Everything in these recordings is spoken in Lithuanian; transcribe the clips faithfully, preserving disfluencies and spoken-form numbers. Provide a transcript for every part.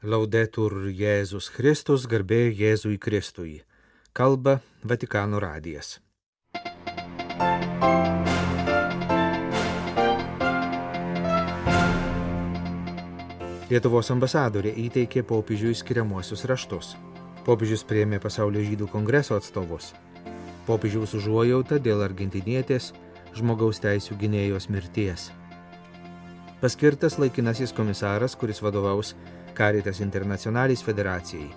Laudetur Jėzus Kristus, garbė Jėzui Kristui. Kalba Vatikano radijas. Lietuvos ambasadorė įteikė popiežiui skiriamuosius raštus. Popiežius priėmė Pasaulio žydų kongreso atstovus. Popiežiaus užuojauta dėl argentinietės žmogaus teisių gynėjos mirties. Paskirtas laikinasis komisaras, kuris vadovaus Caritas Internationalis federacijai.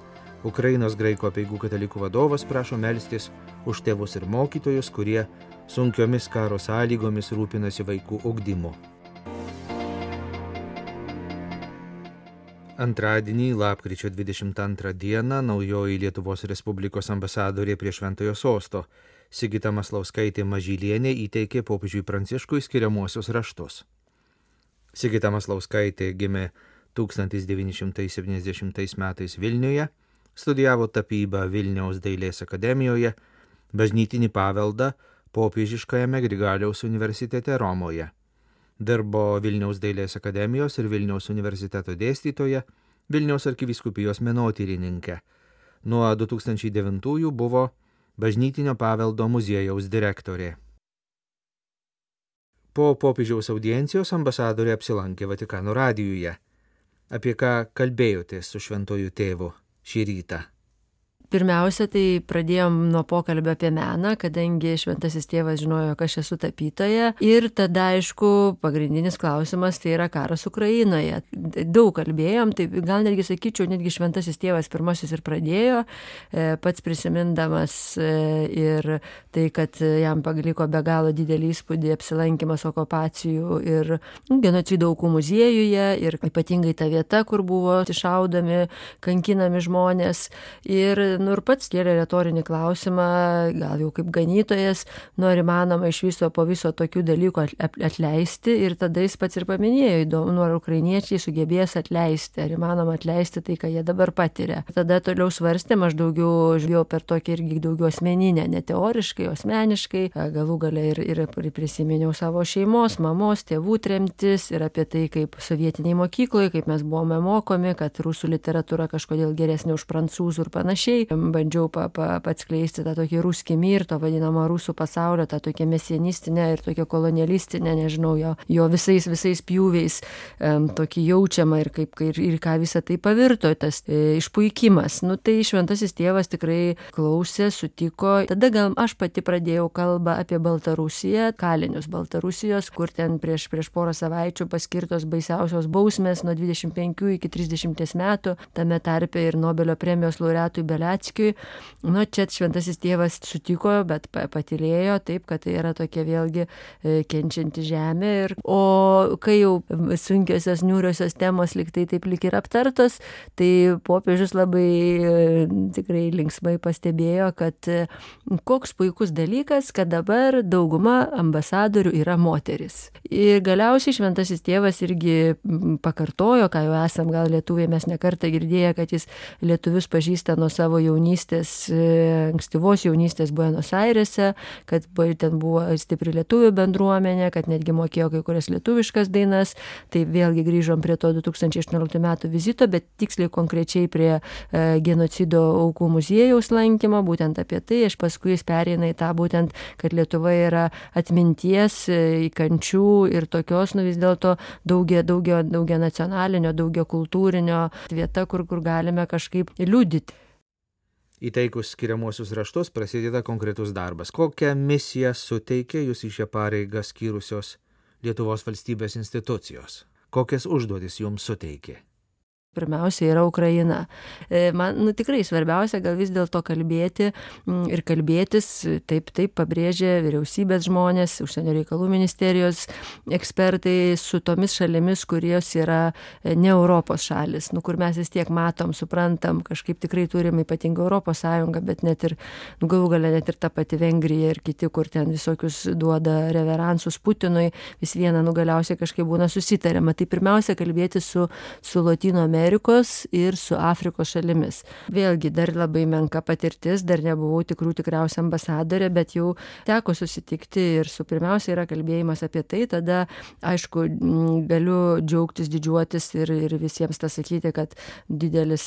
Ukrainos graikų apeigų katalikų vadovas prašo melstis už tėvus ir mokytojus, kurie sunkiomis karo sąlygomis rūpinasi vaikų ugdymu. Antradienį, lapkričio dvidešimt antrą dieną, naujoji Lietuvos Respublikos ambasadorė prie Šventojo sosto Sigita Maslauskaitė Mažylienė įteikė popiežiui Pranciškui skiriamuosius raštus. Sigita Maslauskaitė gimė tūkstantis devyni šimtai septyniasdešimtais metais Vilniuje, studijavo tapybą Vilniaus dailės akademijoje, bažnytinį paveldą Popiežiškajame Grigaliaus universitete Romoje. Dirbo Vilniaus dailės akademijos ir Vilniaus universiteto dėstytoja, Vilniaus arkivyskupijos menotyrininkė. Nuo du tūkstančiai devintųjų buvo bažnytinio paveldo muziejaus direktorė. Po popiežiaus audiencijos ambasadorė apsilankė Vatikano radijuje. Apie ką kalbėjotės su šventuoju tėvu šį rytą? Pirmiausia, tai pradėjom nuo pokalbio apie meną, kadangi šventasis tėvas žinojo, kad aš esu tapytoja. Ir tada, aišku, pagrindinis klausimas tai yra karas Ukrainoje. Daug kalbėjom, tai gal netgi sakyčiau, netgi šventasis tėvas pirmasis ir pradėjo, pats prisimindamas ir tai, kad jam paliko be galo didelį įspūdį apsilankimas okupacijų ir genocido aukų muziejuje, ir ypatingai ta vieta, kur buvo iššaudomi, kankinami žmonės. Ir nu ir pats kėlė retorinį klausimą, gal jau kaip ganytojas, nu ar įmanoma iš viso po viso tokių dalykų atleisti, ir tada jis pats ir paminėjo, įdomu, nu ar ukrainiečiai sugebės atleisti, ar įmanoma atleisti tai, ką jie dabar patiria. Tada toliau svarstėm, aš daugiau žiūrėjau per tokį irgi daugiau asmeninę, ne teoriškai, asmeniškai, galų gale ir, ir prisiminiau savo šeimos, mamos, tėvų tremtis ir apie tai, kaip sovietiniai mokykloje, kaip mes buvome mokomi, kad rusų literatūra kažkodėl geresnė už prancūzų ir panašiai. Bandžiau pa, pa, atskleisti tą tokį ruskį mir, to vadinamą rusų pasaulio, tą tokią mesianistinę ir tokią kolonialistinę, nežinau, jo, jo visais, visais pjūviais um, tokį jaučiamą ir, kaip, ir, ir ką visą tai pavirto, tas e, išpuikimas. Nu, tai šventasis tėvas tikrai klausė, sutiko. Tada gal aš pati pradėjau kalbą apie Baltarusiją, kalinius Baltarusijos, kur ten prieš, prieš porą savaičių paskirtos baisiausios bausmės nuo dvidešimt penkių iki trisdešimties metų, tame tarpe ir Nobelio premijos laureatui Beliackiui. Nu, čia šventasis tėvas sutiko, bet patylėjo taip, kad tai yra tokia vėlgi kenčianti žemė. Ir, o kai jau sunkiosios, niūriosios temos liktai taip lik ir aptartos, tai popiežius labai tikrai linksmai pastebėjo, kad koks puikus dalykas, kad dabar dauguma ambasadorių yra moteris. Ir galiausiai šventasis tėvas irgi pakartojo, ką jau esam gal lietuviai mes nekartą girdėję, kad jis lietuvius pažįsta nuo savo jaunystės, ankstyvos jaunystės Buenos Airėse, kad ten buvo stipri lietuvių bendruomenė, kad netgi mokėjo kai kurias lietuviškas dainas. Tai vėlgi grįžom prie to du tūkstančiai aštuonioliktų metų vizito, bet tiksliai konkrečiai prie e, genocido aukų muziejaus lankymo, būtent apie tai. Aš paskui jis pereina į tą būtent, kad Lietuva yra atminties, e, kančių ir tokios, nu vis dėlto daugia, daugia, daugia nacionalinio, daugia kultūrinio vieta, kur, kur galime kažkaip liudyti. Įteikus skiriamuosius raštus prasideda konkretus darbas. Kokią misiją suteikė jūs į šią pareigą skyrusios Lietuvos valstybės institucijos? Kokias užduotis jums suteikė? Pirmiausia yra Ukraina. Man nu, tikrai svarbiausia gal vis dėlto kalbėti ir kalbėtis, taip, taip pabrėžė vyriausybės žmonės, užsienio reikalų ministerijos ekspertai su tomis šalimis, kurios yra ne Europos šalis, nu, kur mes vis tiek matom, suprantam, kažkaip tikrai turim ypatingą Europos Sąjungą, bet net ir, nu, galų gale net ir ta pati Vengrija ir kiti, kur ten visokius duoda reveransus Putinui, vis viena, nu, galiausiai kažkaip būna susitariama. Tai pirmiausia kalbėti su, su Lotynų Amerikos Amerikos ir su Afrikos šalimis. Vėlgi dar labai menka patirtis, dar nebuvau tikrų tikriausia ambasadorė, bet jau teko susitikti ir su pirmiausia yra kalbėjimas apie tai, tada aišku galiu džiaugtis, didžiuotis ir, ir visiems tą sakyti, kad didelis,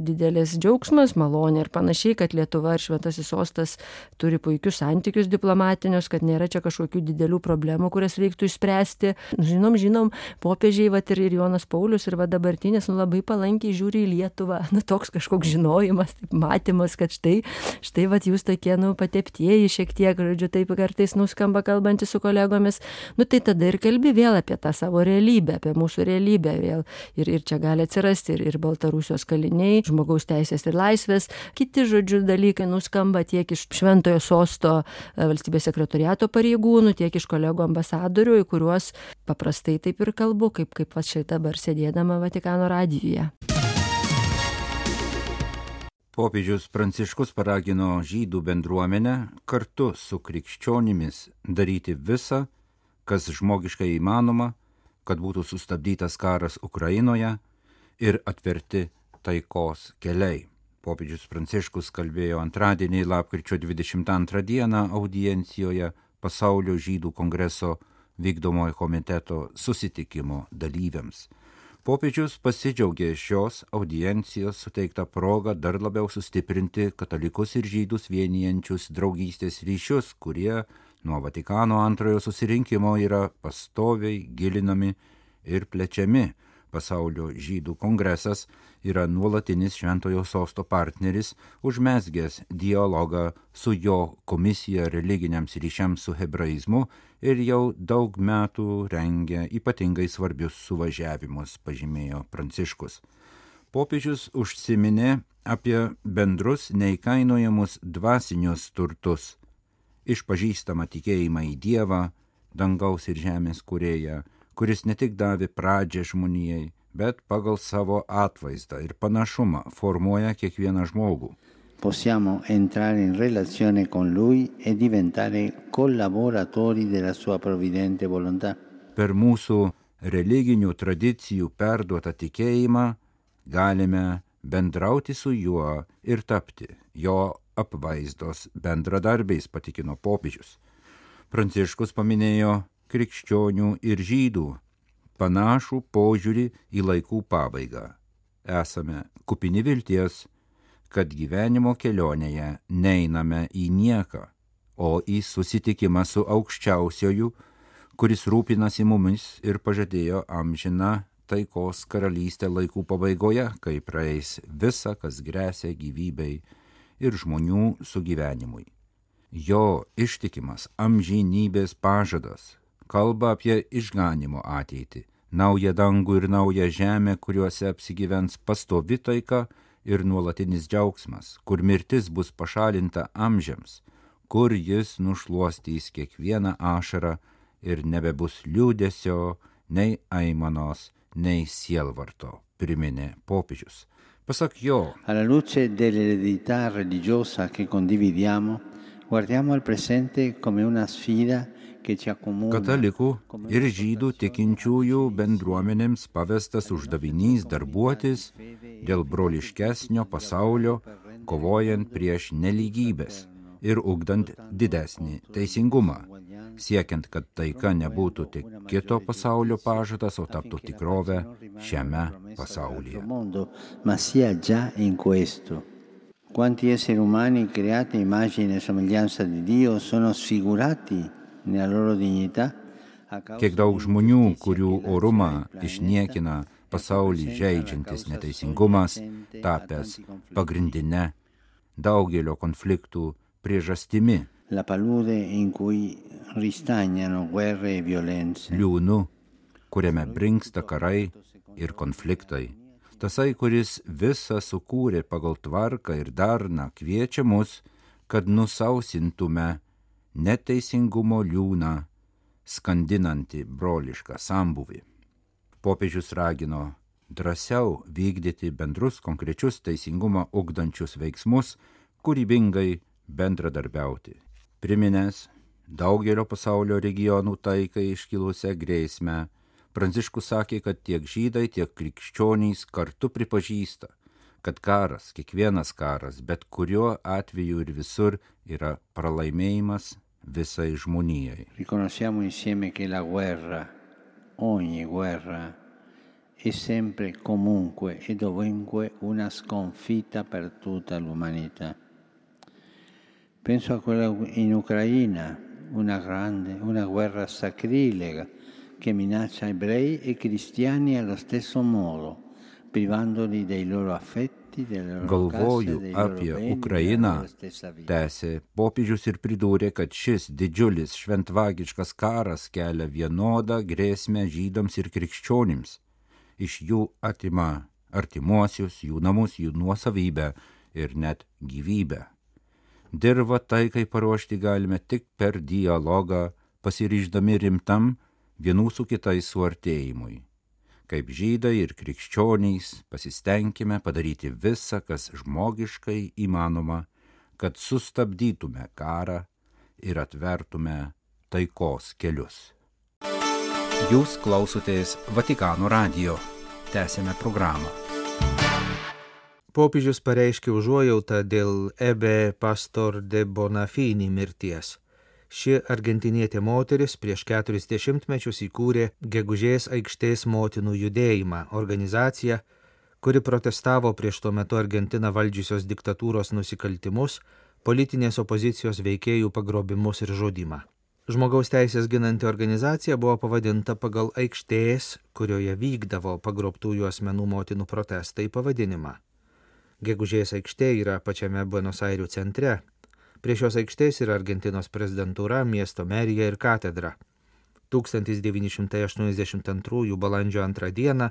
didelis džiaugsmas, malonė ir panašiai, kad Lietuva ir Šventasis sostas turi puikius santykius diplomatinius, kad nėra čia kažkokių didelių problemų, kurias reiktų išspręsti. Žinom, žinom, popiežiai, vat, ir Jonas Paulius, ir va dabartinis, nu, labai palankiai žiūri į Lietuvą. Nu, toks kažkoks žinojimas, taip, matymas, kad štai, štai vat, jūs tokie, nu, pateptieji šiek tiek, žodžiu, taip kartais nuskamba kalbantys su kolegomis. Nu, tai tada ir kalbi vėl apie tą savo realybę, apie mūsų realybę vėl. Ir, ir čia gali atsirasti ir, ir Baltarusijos kaliniai, žmogaus teisės ir laisvės, kiti, žodžiu, dalykai nuskamba tiek iš Šventojo sosto valstybės sekretoriato pareigūnų, tiek iš kolegų ambasadorių, į kuriuos paprastai taip ir kalbu, kaip, kaip va štai dabar sėdėdama Vatikano radijuje. Popiežius Pranciškus paragino žydų bendruomenę kartu su krikščionimis daryti visą, kas žmogiškai įmanoma, kad būtų sustabdytas karas Ukrainoje ir atverti taikos keliai. Popiežius Pranciškus kalbėjo antradienį, lapkričio dvidešimt antrą dieną audiencijoje Pasaulio žydų kongreso vykdomojo komiteto susitikimo dalyviams. Popiežius pasidžiaugė šios audiencijos suteiktą progą dar labiau sustiprinti katalikus ir žydus vienijančius draugystės ryšius, kurie nuo Vatikano antrojo susirinkimo yra pastoviai gilinami ir plečiami. Pasaulio žydų kongresas yra nuolatinis Šventojo sosto partneris, užmezgęs dialogą su jo komisija religiniams ryšiams su hebraizmu ir jau daug metų rengia ypatingai svarbius suvažiavimus, pažymėjo Pranciškus. Popiežius užsiminė apie bendrus neįkainojamus dvasinius turtus, išpažįstamą tikėjimą į Dievą, dangaus ir žemės kūrėją, kuris ne tik davė pradžią žmonijai, bet pagal savo atvaizdą ir panašumą formuoja kiekvieną žmogų. Possiamo entrare in relazione con lui e diventare collaboratori della sua provvidente volontà. Per mūsų religinių tradicijų perduotą tikėjimą galime bendrauti su juo ir tapti jo apvaizdos bendradarbiais, patikino popiežius. Pranciškus paminėjo krikščionių ir žydų panašų požiūrį į laikų pabaigą. Esame kupini vilties, kad gyvenimo kelionėje neiname į nieką, o į susitikimą su aukščiausioju, kuris rūpinasi mumis ir pažadėjo amžiną taikos karalystę laikų pabaigoje, kai praeis visa, kas gresia gyvybei ir žmonių sugyvenimui. Jo ištikimas amžinybės pažadas kalba apie išganimo ateitį, naują dangų ir naują žemę, kuriuose apsigyvens pastovi taika ir nuolatinis džiaugsmas, kur mirtis bus pašalinta amžiams, kur jis nušluostys kiekvieną ašarą ir nebebus liūdesio, nei aimanos, nei sielvarto, priminė popiežius. Pasak jo, alla luce dell'eredità religiosa che condividiamo, guardiamo al presente come una sfida che ci accomuna. Katalikų ir žydų tikinčiųjų bendruomenėms pavestas uždavinys darbuotis dėl broliškesnio pasaulio, kovojant prieš nelygybės ir ugdant didesnį teisingumą, siekiant, kad taika nebūtų tik kito pasaulio pažadas, o taptų tikrovę šiame pasaulyje. Ma sia già in questo. Quanti esseri umani creati a immagine e somiglianza di Dio sono sfigurati nella loro dignità. Kiek daug žmonių, kurių orumą išniekina pasaulį žeidžiantis neteisingumas, tapęs pagrindinė daugelio konfliktų priežastimi. La palude in cui ristagnano guerre e violenze. Liūnu, kuriame brinksta karai ir konfliktai. Tasai, kuris visą sukūrė pagal tvarką ir darną, kviečia mus, kad nusausintume neteisingumo liūną, skandinantį brolišką sambuvį. Popiežius ragino drąsiau vykdyti bendrus konkrečius teisingumą ugdančius veiksmus, kūrybingai bendradarbiauti. Priminęs daugelio pasaulio regionų taikai iškilusią grėsmę, Pranciškus sakė, kad tiek žydai, tiek krikščionys kartu pripažįsta, kad karas, kiekvienas karas, bet kuriuo atveju ir visur yra pralaimėjimas visai žmonijai. Riconosciamo insieme che la guerra, ogni guerra, è sempre comunque e dovunque una sconfitta per tutta l'umanità. Penso a quella in Ucraina, una grande, una guerra sacrilega che minaccia ebrei e cristiani allo stesso modo, privandoli dei loro affetti, delle loro Galvoju case, dei loro apie beni, Ukrainą, della loro stessa vita. tęsė popiežius ir pridūrė, kad šis didžiulis šventvagiškas karas kelia vienodą grėsmę žydams ir krikščionims. Iš jų atima artimuosius, jų namus, jų nuosavybę ir net gyvybę. Dirvą taikai paruošti galime tik per dialogą, pasiryždami rimtam vienų su kitais suartėjimui. Kaip žydai ir krikščionys pasistengime padaryti visą, kas žmogiškai įmanoma, kad sustabdytume karą ir atvertume taikos kelius. Jūs klausotės Vatikano radijo. Tęsėme programą. Popiežius pareiškė užuojautą dėl Ebe Pastor de Bonafini mirties. Ši argentinietė moteris prieš keturis dešimtmečius įkūrė Gegužės aikštės motinų judėjimą, organizaciją, kuri protestavo prieš tuo metu Argentiną valdžiusios diktatūros nusikaltimus, politinės opozicijos veikėjų pagrobimus ir žudymą. Žmogaus teisės ginanti organizacija buvo pavadinta pagal aikštės, kurioje vykdavo pagrobtųjų asmenų motinų protestai pavadinimą. Gegužės aikštė yra pačiame Buenos Airių centre. Prie šios aikštės yra Argentinos prezidentūra, miesto merija ir katedra. tūkstantis devyni šimtai aštuoniasdešimt antrųjų balandžio antrą dieną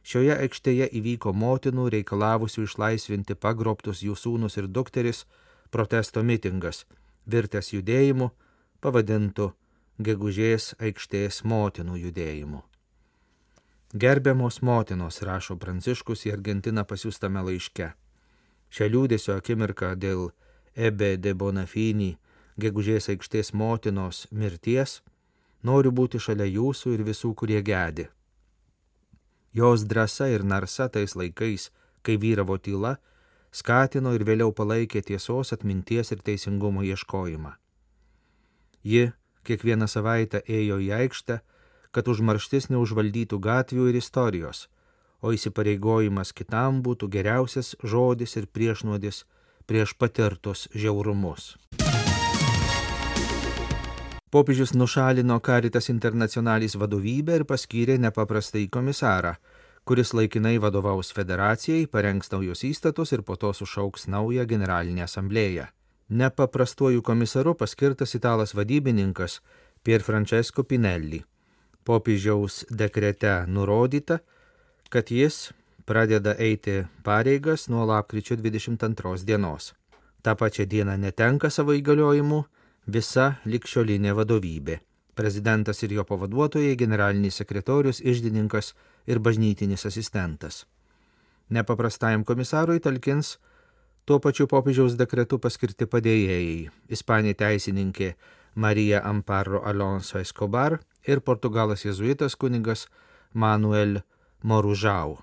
šioje aikštėje įvyko motinų reikalavusių išlaisvinti pagrobtus jų sūnus ir dukteris protesto mitingas, virtęs judėjimu, pavadintų Gegužės aikštės motinų judėjimu. Gerbiamos motinos, rašo Pranciškus į Argentiną pasiųstame laiške. Šią liūdesio akimirką dėl Ebe de Bonafini, Gegužės aikštės motinos mirties, noriu būti šalia jūsų ir visų, kurie gedi. Jos drąsa ir narsa tais laikais, kai vyravo tyla, skatino ir vėliau palaikė tiesos, atminties ir teisingumo ieškojimą. Ji kiekvieną savaitę ėjo į aikštę, kad užmarštis neužvaldytų gatvių ir istorijos, o įsipareigojimas kitam būtų geriausias žodis ir priešnuodis prieš patirtus žiaurumus. Popiežius nušalino Caritas Internationalis vadovybę ir paskyrė nepaprastąjį komisarą, kuris laikinai vadovaus federacijai, parengs naujus įstatus ir po to sušauks naują generalinę asamblėją. Nepaprastuoju komisaru paskirtas italas vadybininkas Pier Francesco Pinelli. Popiežiaus dekrete nurodyta, kad jis pradeda eiti pareigas nuo lapkričio dvidešimt antros dienos. Ta pačia diena netenka savo įgaliojimų visa ligšiolinė vadovybė. Prezidentas ir jo pavaduotojai, generalinis sekretorius, iždininkas ir bažnytinis asistentas. Nepaprastajam komisarui talkins tuo pačiu popiežiaus dekretu paskirti padėjėjai, ispanė teisininkė Marija Amparo Alonso Escobar ir portugalas jėzuitas kunigas Manuel Moružau.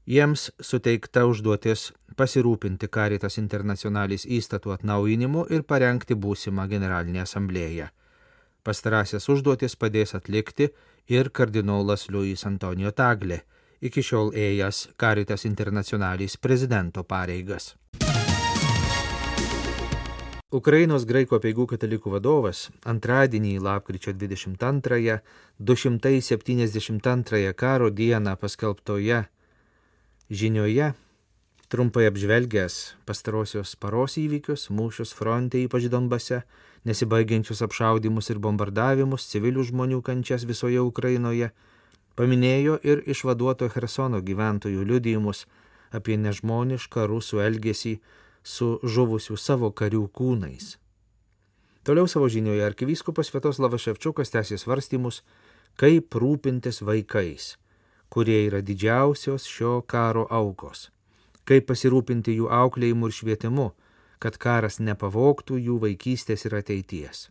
Jiems suteikta užduotis pasirūpinti Caritas Internationalis įstatų atnaujinimu ir parengti būsimą generalinę asamblėją. Pastarąsias užduotis padės atlikti ir kardinolas Luis Antonijo Tagle, iki šiol ėjęs Caritas Internationalis prezidento pareigas. Ukrainos graikų apeigų katalikų vadovas antradienį lapkričio dvidešimt antrąją, du šimtai septyniasdešimt antrąją karo dieną paskelbtoje žinioje, trumpai apžvelgęs pastarosios paros įvykius, mūšius fronte, ypač Donbase, nesibaigiančius apšaudymus ir bombardavimus, civilių žmonių kančias visoje Ukrainoje, paminėjo ir išvaduoto Chersono gyventojų liudijimus apie nežmonišką rusų elgesį su žuvusių savo karių kūnais. Toliau savo žinioje arkivyskupas Sviatoslavas Ševčiukas tęsė svarstymus, kaip rūpintis vaikais, kurie yra didžiausios šio karo aukos, kaip pasirūpinti jų auklėjimu ir švietimu, kad karas nepavogtų jų vaikystės ir ateities.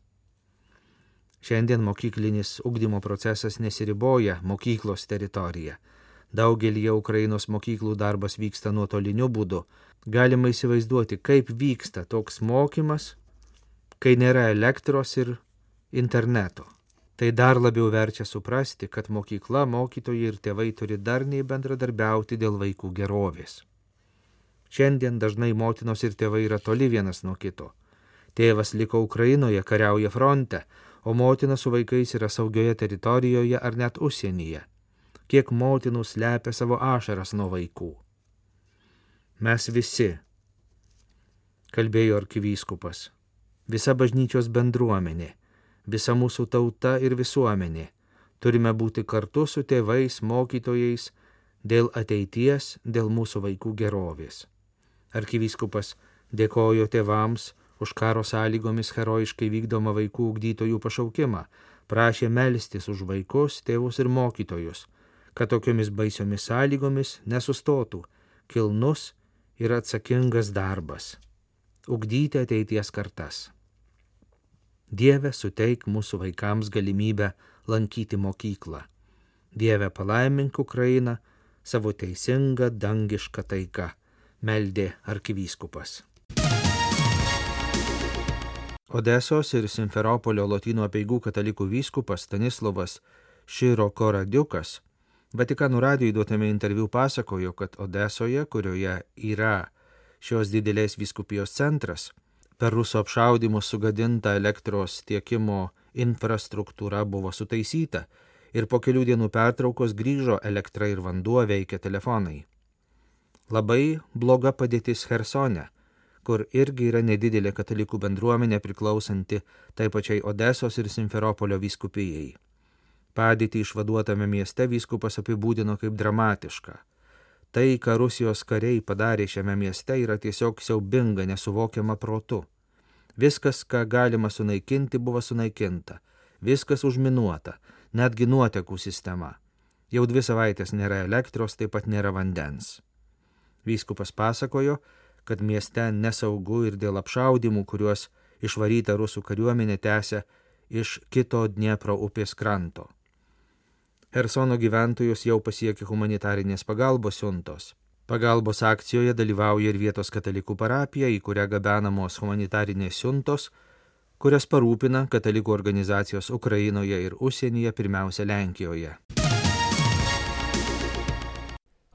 Šiandien mokyklinis ugdymo procesas nesiriboja mokyklos teritorija. Daugelį Ukrainos mokyklų darbas vyksta nuotoliniu būdu. Galima įsivaizduoti, kaip vyksta toks mokymas, kai nėra elektros ir interneto. Tai dar labiau verčia suprasti, kad mokykla, mokytojai ir tėvai turi darniai bendradarbiauti dėl vaikų gerovės. Šiandien dažnai motinos ir tėvai yra toli vienas nuo kito. Tėvas liko Ukrainoje, kariauja fronte, o motina su vaikais yra saugioje teritorijoje ar net užsienyje. Kiek motinų slepia savo ašaras nuo vaikų. Mes visi, kalbėjo arkivyskupas, visa bažnyčios bendruomenė, visa mūsų tauta ir visuomenė, turime būti kartu su tėvais, mokytojais, dėl ateities, dėl mūsų vaikų gerovės. Arkivyskupas dėkojo tėvams už karo sąlygomis herojiškai vykdomą vaikų ugdytojų pašaukimą, prašė melstis už vaikus, tėvus ir mokytojus, kad tokiomis baisiomis sąlygomis nesustotų kilnus ir atsakingas darbas – ugdyti ateities kartas. Dieve, suteik mūsų vaikams galimybę lankyti mokyklą. Dieve, palaimink Ukrainą savo teisingą dangišką taiką, meldė arkivyskupas. Odesos ir Simferopolio Lotynų apeigų katalikų vyskupas Stanislovas Širokoradiukas Vatikano radijui duotame interviu pasakojo, kad Odesoje, kurioje yra šios didelės vyskupijos centras, per rusų apšaudymus sugadinta elektros tiekimo infrastruktūra buvo sutaisyta ir po kelių dienų pertraukos grįžo elektra ir vanduo, veikia telefonai. Labai bloga padėtis Chersone, kur irgi yra nedidelė katalikų bendruomenė priklausanti tai pačiai Odesos ir Simferopolio vyskupijai. Padėtį išvaduotame mieste vyskupas apibūdino kaip dramatišką. Tai, ką Rusijos kariai padarė šiame mieste, yra tiesiog siaubinga, nesuvokiama protu. Viskas, ką galima sunaikinti, buvo sunaikinta. Viskas užminuota, netgi nuotekų sistema. Jau dvi savaitės nėra elektros, taip pat nėra vandens. Vyskupas pasakojo, kad mieste nesaugu ir dėl apšaudimų, kuriuos išvaryta rusų kariuomenė tęsia iš kito Dniepro upės kranto. Chersono gyventojus jau pasiekė humanitarinės pagalbos siuntos. Pagalbos akcijoje dalyvauja ir vietos katalikų parapija, į kurią gabenamos humanitarinės siuntos, kurias parūpina katalikų organizacijos Ukrainoje ir užsienyje, pirmiausia Lenkijoje.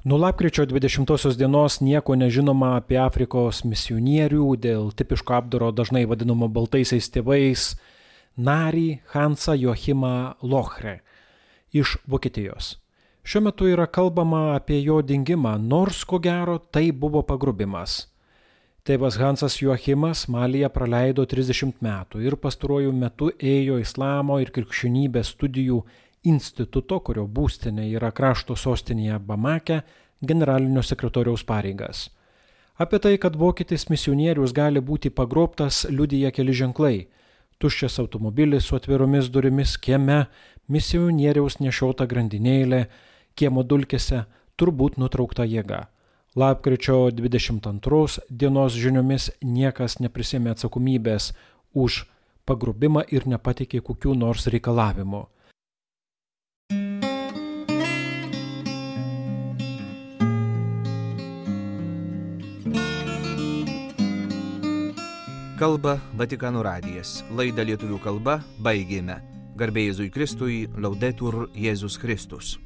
Nuo lapkričio dvidešimtosios dienos nieko nežinoma apie Afrikos misionierių dėl tipiško apdaro dažnai vadinamo baltaisiais tėvais narį Hansą Joachimą Lochre iš Vokietijos. Šiuo metu yra kalbama apie jo dingimą, nors ko gero tai buvo pagrubimas. Tėvas Hansas Joachimas Malyje praleido trisdešimt metų ir pastaruoju metu ėjo islamo ir krikščionybės studijų instituto, kurio būstinė yra krašto sostinėje Bamake, generalinio sekretoriaus pareigas. Apie tai, kad vokietis misionierius gali būti pagrobtas, liudija keli ženklai. Tuščias automobilis su atviromis durimis kieme, misionieriaus nešiota grandinėlė, kiemo dulkėse, turbūt nutraukta jėga. Lapkričio dvidešimt antros dienos žiniomis niekas neprisėmė atsakomybės už pagrobimą ir nepateikė kokių nors reikalavimų. Kalba Vatikano radijas. Laidą lietuvių kalba baigėme. Garbė Jėzui Kristui, Laudetur Jėzus Kristus.